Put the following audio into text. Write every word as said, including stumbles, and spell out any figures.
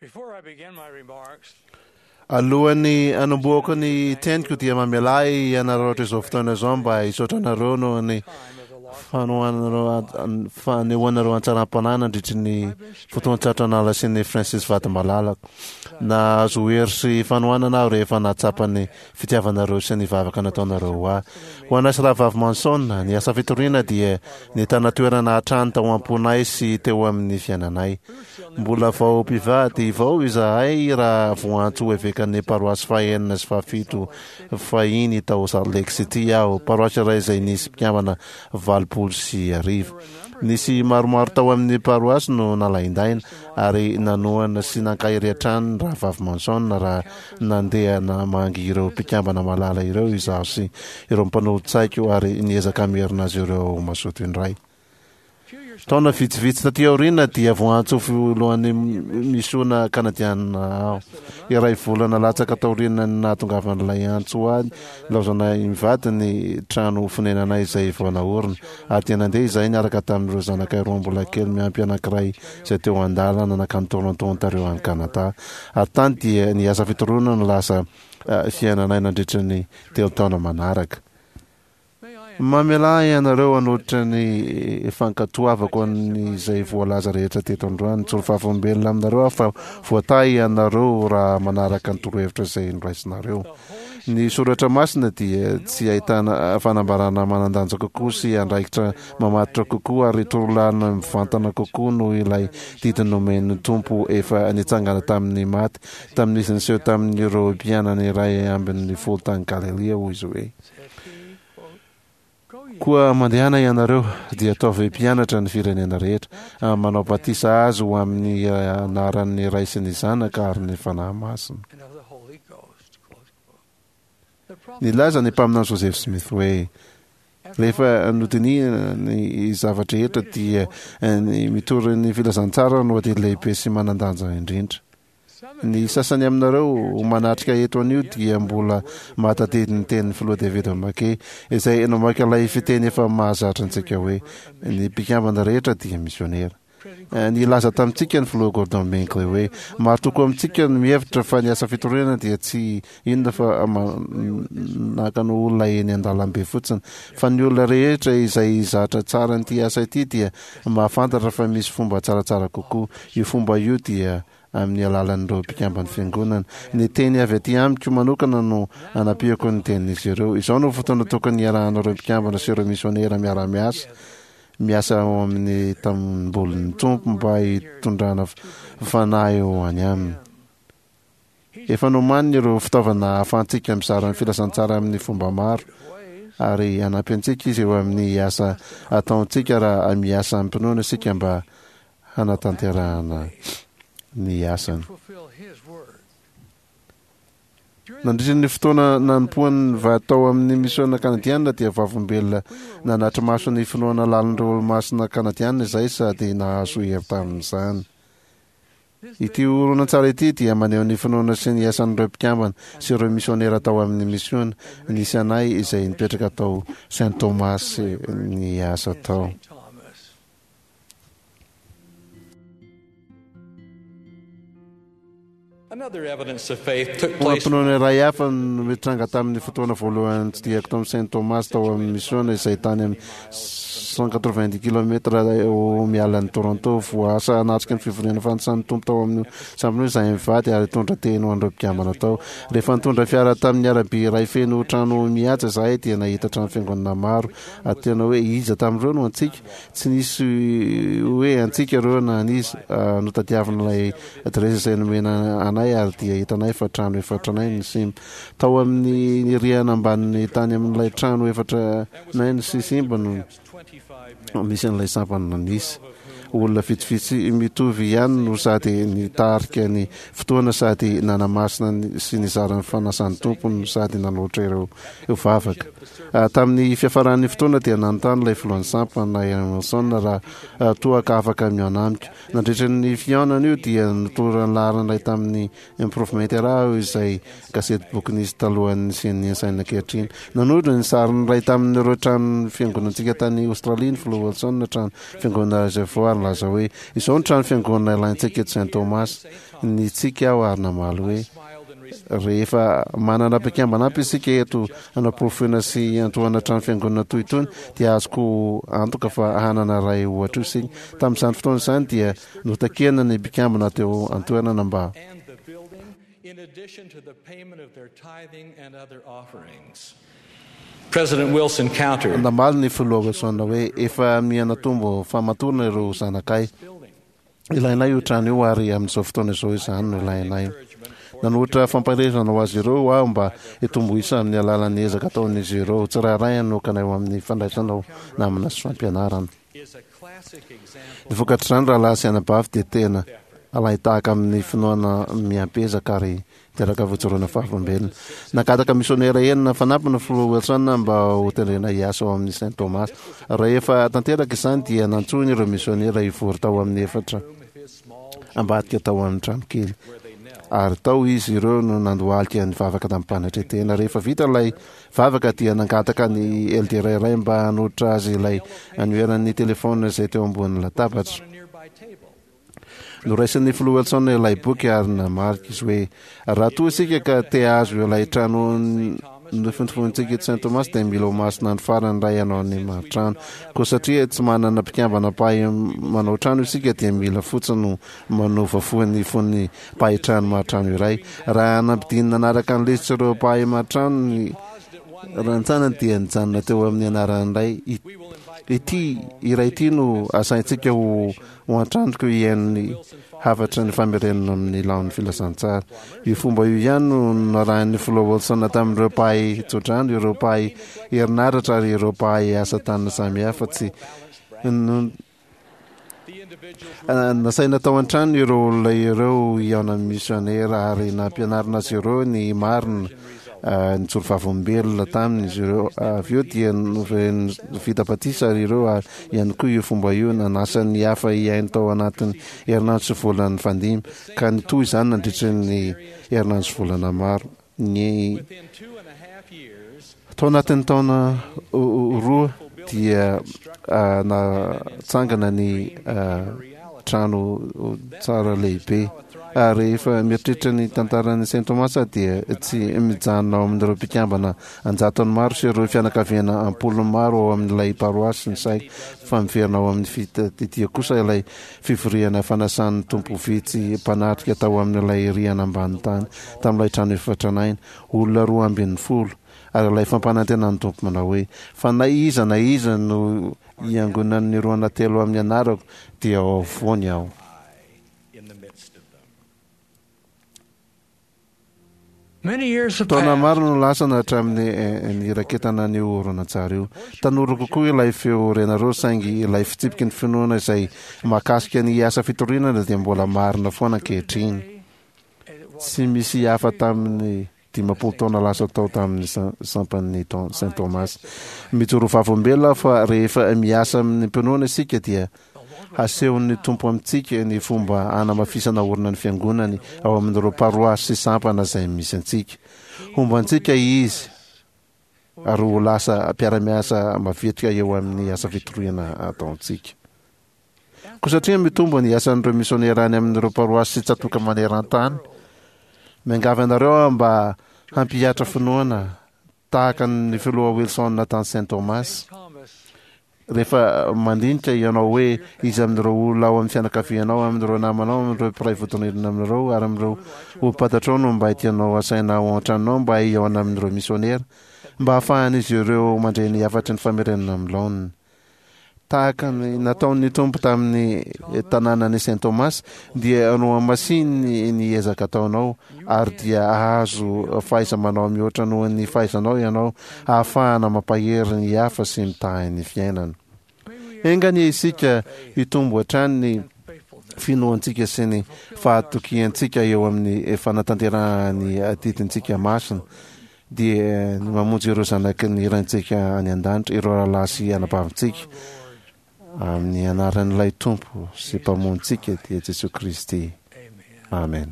Before I begin my remarks, Alohan'ny hanombohako ny teniko dia mamela ahy hanararaotra izao fotoana izao mba hisaotra anareo noho ny time of the lost fanohanareo fanehoanareo antsaram-panahy nandritry ny fotoan-tsarotra nalasian'i Francis vady malalako. Nahazo hery sy fanohanana aho rehefa nahatsapa ny fitiavanareo sy ny vavaka nataonareo ho ahy. Ho anay sy rahavavy Manson, ny asa fitoriana dia nitana toerana hatrany tao am-ponay sy teo amin'ny fiainanay. Mbola vao mpivady vao izahay raha voantso ho evekan'ny paroasy fahenina sy fahafito fahiny tao Salt Lake City aho, paroasy iray izay nisy mpikambana valopolo sy arivo. Nisy maromaro tao amin'ny paroasy no nalaindaina ary nanohana sy nankahery hatrany ny rahavavy Manson raha nandeha namangy ireo mpikambana malala ireo izaho sy ireo mpanolotsaiko ary niezaka hamerina azy ireo ho mazoto indray. Taona vitsivitsy taty aoriana dia voantso ho filohan'ny misiona kanadiana aho. Iray volana latsaka taorian'ny nahatongavan'ilay antso ho ahy, nilaozanay mivady ny trano fonenanay izay vao naorina, ary dia nandeha izahay niaraka tamin'ireo zanakay roa mbola kely miampy anankiray izay teo an-dalana nankany Toronto, Ontario any Canada. Ary tany dia ny asa fitoriana no lasa fiainanay nandritra ny telo taona manaraka. Mamelà ahy ianareo hanolotra ny fankatoavako an'izay voalaza rehetra teto androany. Mijoro vavolombelona aminareo aho fa voatahy ianareo raha manaraka ny torohevitra izay noraisinareo. Ny soratra masina dia tsy ahitana fanambarana manan-danja kokoa sy andraikitra mamatotra kokoa ary torolalana mivantana kokoa noho ilay didy nomen'ny Tompo efa nitsangana tamin'ny maty tamin'izy niseho tamin'ireo mpianany iray ambin'ny folo tany Galilia, hoy izy hoe: Koa mandehana ianareo, dia ataovy mpianatra ny firenena rehetra, manao batisa azy ho amin'ny anaran'ny Ray sy ny Zanaka ary ny Fanahy Masina. and of the Holy Ghost. Close quote. The prophet Nilaza ny mpaminany Joseph Smith hoe: Rehefa nodinihina ny zava-drehetra dia ny mitory ny filazantsara no adidy lehibe sy manan-danja indrindra. Ny sasany aminareo manatrika eto anio dia mbola mahatadidy ny tenin'ny filoha David McKay, izay namaky ilay fiteny efa mahazatra antsika hoe, Ny mpikambana rehetra dia misionera. Nilaza tamintsika ny filoha Gordon Binkley hoe, Maro tokoa amintsika no mihevitra fa ny asa fitoriana dia tsy inona fa manakana olona eny an-dalambe fotsiny. Fa ny olona rehetra izay zatra tsara an'ity asa ity dia mahafantatra fa misy fomba tsaratsara kokoa. Io fomba io dia amin'ny alalan'ireo mpikamban'ny fiangonana. Ny teny avy aty amiko manokana no anampiako ny tenin'izy ireo. Izao no fotoana tokony hiarahanareo mpikambana sy ireo misionera miara-miasa miasa ao amin'ny tanimbolin'ny Tompo mba hitondrana fanahy ho any aminy. Efa nomaniny ireo fitaovana ahafahantsika mizara ny filazantsara amin'ny fomba maro, ary hanampy antsika izy eo amin'ny asa ataontsika raha miasa amim-pinoana isika mba hanatanterahana ny asany. fulfill his word. Nandritra ny fotoana nanompoan'ny vady tao amin'ny misiona kanadiana dia vavolombelona nanatri-maso ny finoana lalin'ireo olomasina kanadiana izahay sady nahazo hery tamin'izany. Ity horonantsary ity dia maneho ny finoana sy ny asan'ireo mpikambana sy ireo misionera tao amin'ny misiona nisy anay izay nipetraka tao Saint Thomas niasa tao. Saint Thomas. Another evidence of faith took place Finoana iray hafa no nitranga tamin'ny fotoana voalohany nitsidihako tao amin'ny Saint Thomas tao amin'ny misiona izay tany amin'ny cent quatre-vingt-dix kilomètres eo miala an'i Toronto. Voaasa hanatrika ny fivoriana fanisan'ny Tompo tao amin'ny sampona io izahay mivady ary nitondra teny ho an'ireo mpikambana tao. Rehefa nitondra fiara tamin'ny arabe iray feno trano mihaja izahay dia nahita trano fiangonana maro ary tena hoe iza tamin'ireo no antsika? Tsy nisy hoe antsika ireo na an'iza. Notadiavin'ilay adiresy izay nomena anay ary dia hitanay fa trano efa tranainy ny simba. Tao amin'ny rihana ambanin'ny tany amin'ilay trano efa tranainy sy simba no misy an'ilay sampana nisy. Olona vitsivitsy mitovy ihany no sady nitarika ny fotoana sady nanamasina sy nizara ny fanasan'ny Tompo no sady nanolotra ireo vavaka. Tamin'ny fiafaran'ny fotoana dia nanontany ilay filohan'ny sampana, Aaron Wilson, raha toa ka afaka mihaona amiko. Nandritra ny fihaonana io dia notolorany laharana iray tamin'ny Improvement Era aho izay gazetiboky nisy talohan'ny nisian'ny Ensign ankehitriny. Nanondro ny sarin'ny iray tamin'ireo trano fiangonantsika tany Aostralia ny Filoha Wilson, trano fiangonana Reservoir nilaza hoe izao ny trano fiangonana ilaintsika eto Saint Thomas. Nitsiky aho ary namaly hoe rehefa manana mpikambana ampy isika eto hanaporofoina sy hiantohana trano fiangonana toy itony dia azoko antoka fa hanana iray ohatra io isika. Tamin'izany fotoana izany dia notakiana ny mpikambana teo an-toerana mba and the building, in addition to the payment of their tithing and other offerings. President Wilson countered, namaly ny filoha Wilson hoe efa mihanatombo famatorana ireo zanakay. Ilainay io trano io ary amin'izao fotoana izao izany no ilainay. Nanolotra fampaherezana ho azy ireo aho mba hitombo isa amin'ny alalan'ny ezaka ataon'izy ireo tsirairay hanokana eo amin'ny fandraisanao namana sy fampianarana. is a classic example Ny vokatr'izany rahalahy sy anabavy dia tena alain-tahaka amin'ny finoana miampezaka ary teraka fijoroana fahavolombelona. Nangataka misionera enina fanampiny ny filoha Wilson mba ho tendrena hiasa ao amin'ny Saint Thomas. Rehefa tanteraka izany dia nantsoiny ireo misionera hivory tao amin'ny efitra of his small ambadika tao amin'ny trano kely. where they knelt. Ary tao izy ireo no nandohalika ny vavaka tamim-panetren-tena. Rehefa vita ilay vavaka dia nangataka ny eldera iray mba hanolotra azy ilay anoeran'ny telefôna izay teo ambonin'ny latabatra. On a nearby table. Noraisin'ny filoha Wilson ilay boky ary namarika izy hoe raha toa isika ka te hahazo ilay trano nofintofonintsika eto Saint Thomas dia mila ho masina ny farany iray hanao ny maritrano. Koa satria tsy manana mpikambana mpahay manao trano isika dia mila fotsiny no manova fo ny fon'ny mpahay trano maritrano iray. Raha nampidinina nanaraka ny lisitra ireo mpahay maritrano ny rantsanany dia nijanona teo amin'ny anarany iray. I- Ity iray ity no asaintsika ho ho an-tranoko hihaino ny hafatra ny famerenana amin'ny laon'ny filazantsara. Io fomba io ihany no narahin'ny filoha Wilson tamin'ireo mpahay tsodrano, ireo mpahay herinaratra ary ireo mpahay asa tanana samihafa. Tsy no- The individuals Ah, nasaina tao an-trano ireo olona ireo hihaona amin'ny misionera ary nampianarina azy ireo ny marina ah, nijoro vavolombelona taminy izy ireo. Avy eo dia noven- vita batisa ary ireo ary ihany koa io fomba io nanasa ny hafa hihaino tao anatin'ny herinandro sy volana nifandimby ka nitohy izany nandritra ny herinandro sy volana maro. Ny within two and a half years tao anatin'ny taona o- o- roa dia ah, natsangana ny ah, trano tsara lehibe. Ary rehefa mieritreritra ny tantaran'ny Saint Thomas dia tsy mijanona ao amin'ireo mpikambana anjatony maro sy ireo fianakaviana ampolony maro ao amin'ilay paroasy ny saiko fa miverina ao amin'ny fitadidia kosa ilay fivoriana fanasan'ny Tompo vitsy mpanatrika tao amin'ilay rihana ambany tany tamin'ilay trano efa tranainy, olona roa ambin'ny folo. Ary ilay fampanantenan'ny Tompo manao hoe fa na iza na iza no hiangonan'ny roa na telo amin'ny anarako dia ao afovoany aho. I in the midst of them. Many years have Taona passed. maro no lasana hatramin'ny eh, niraketana an'io horonantsary io. Tanora kokoa ilay feo renareo saingy ilay fitsipiky ny finoana izay mahakasika ny asa fitoriana dia mbola marina foana ankehitriny. Tsy misy hafa tamin'ny dimampolo taona lasa tao tamin'ny sa- sampan'ny Ton- Saint Thomas. Mijoro vavolombelona fa rehefa miasa amin'ny mpinoana isika dia hasehon'ny Tompo amintsika ny fomba hanamafisana orina ny fiangonany ao amin'ireo paroasy sy sampana izay misy antsika. Homba antsika izy ary ho lasa mpiara-miasa mavitrika eo amin'ny asa fitoriana ataontsika. Koa satria mitombo ny asan'ireo misionera any amin'ireo paroasy sy tsatòka maneran-tany, miangavy anareo aho mba hampihatra finoana tahaka ny filoha Wilson tany Saint Thomas. Thomas Rehefa mandinika ianao hoe iza amin'ireo olona ao amin'ny fianakavianao, amin'ireo namanao, amin'ireo mpiray vodirindrina amin'ireo ary amin'ireo olom-pantatrao no mba tianao asaina ao an-tranonao mba hihaona amin'ireo misionera mba hahafahan'izy ireo mandre ny hafatry ny famerenana amin'ny laoniny. Tahaka ny nataon'ny Tompo tamin'ny tanànan'i Saint Thomas dia nohamasininy ny ezaka ataonao ary dia hahazo fahaiza-manao mihoatra noho ny fahaizanao ianao ahafahana mampahery ny hafa sy mitahy ny fiainana. Enga anie isika hitombo hatrany ny finoantsika sy ny fahatokiantsika eo amin'ny fanatanterahana adidintsika masina dia ny mamonjy ireo zanaky ny Raintsika any an-danitra, ireo rahalahy sy anabavintsika amin'ny anaran'ilay Tompo sy Mpamonjintsika dia Jesosy Kristy. Amen. Amen.